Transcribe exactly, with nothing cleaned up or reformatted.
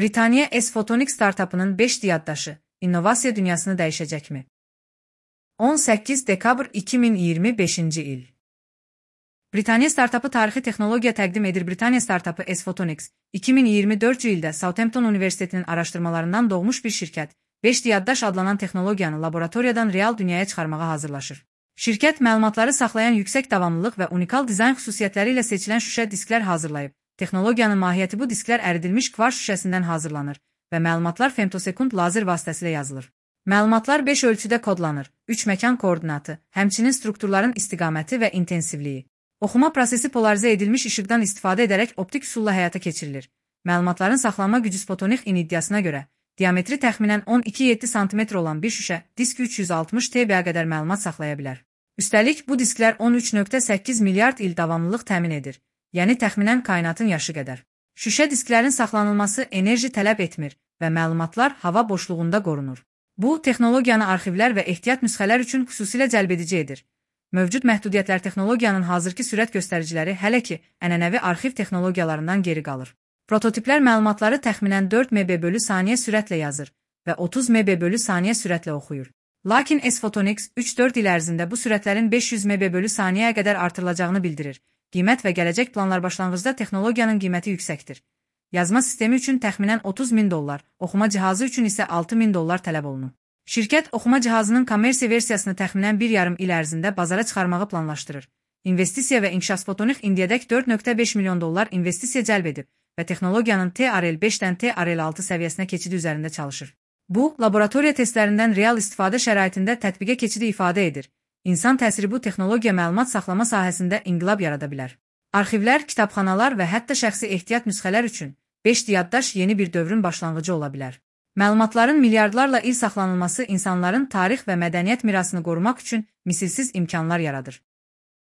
Britaniya S-Photonics startapının beş D yaddaşı innovasiya dünyasını dəyişəcəkmi? on səkkiz dekabr iki min iyirmi beşinci il. Britaniya startapı tarixi texnologiya təqdim edir. Britaniya startapı S-Photonics iki min iyirmi dördüncü ildə Southampton Universitetinin araşdırmalarından doğmuş bir şirkət, beş D yaddaş adlanan texnologiyanı laboratoriyadan real dünyaya çıxarmağa hazırlaşır. Şirkət məlumatları saxlayan yüksək davamlılıq və unikal dizayn xüsusiyyətləri ilə seçilən şüşə disklər hazırlayıb. Texnologiyanın mahiyyəti bu disklər əridilmiş kvarts şüşəsindən hazırlanır və məlumatlar femtosekund lazer vasitəsilə yazılır. Məlumatlar beş ölçüdə kodlanır, üç məkan koordinatı, həmçinin strukturların istiqaməti və intensivliyi. Oxuma prosesi polarizə edilmiş işıqdan istifadə edərək optik üsulla həyata keçirilir. Məlumatların saxlanma gücü Sputnik in iddiasına görə, diametri təxminən on iki nöqtə yeddi santimetr olan bir şüşə disk üç yüz altmış terabitə qədər məlumat saxlaya bilər. Üstəlik, bu disklər on üç nöqtə səkkiz milyard il davamlılıq təmin edir, yəni təxminən kainatın yaşı qədər. Şüşə disklərin saxlanılması enerji tələb etmir və məlumatlar hava boşluğunda qorunur. Bu, texnologiyanı arxivlər və ehtiyat nüsxələr üçün xüsusilə cəlbedici edir. Mövcud məhdudiyyətlər texnologiyanın hazırki sürət göstəriciləri hələ ki, ənənəvi arxiv texnologiyalarından geri qalır. Prototiplər məlumatları təxminən dörd megabayt bölü saniyə sürətlə yazır və otuz megabayt bölü saniyə sürətlə oxuyur. Lakin S-Photonics üç dörd il ərzində bu sürətlərin beş yüz megabayt bölü saniyəyə qədər artırılacağını bildirir. Qiymət və gələcək planlar başlanğıcda texnologiyanın qiyməti yüksəkdir. Yazma sistemi üçün təxminən otuz min dollar, oxuma cihazı üçün isə altı min dollar tələb olunur. Şirkət oxuma cihazının kommersiya versiyasını təxminən bir yarım il ərzində bazara çıxarmağı planlaşdırır. İnvestisiya və inkişaf Photonics indiyədək dörd nöqtə beş milyon dollar investisiya cəlb edib və texnologiyanın T R L beşdən T R L altı səviyyəsinə keçidi üzərində çalışır. Bu, laboratoriya testlərindən real istifadə şəraitində tətbiqə keçidi ifadə edir. İnsan təsiri bu texnologiya məlumat saxlama sahəsində inqilab yarada bilər. Arxivlər, kitabxanalar və hətta şəxsi ehtiyat nüsxələr üçün beş D yaddaş yeni bir dövrün başlanğıcı ola bilər. Məlumatların milyardlarla il saxlanılması insanların tarix və mədəniyyət mirasını qorumaq üçün misilsiz imkanlar yaradır.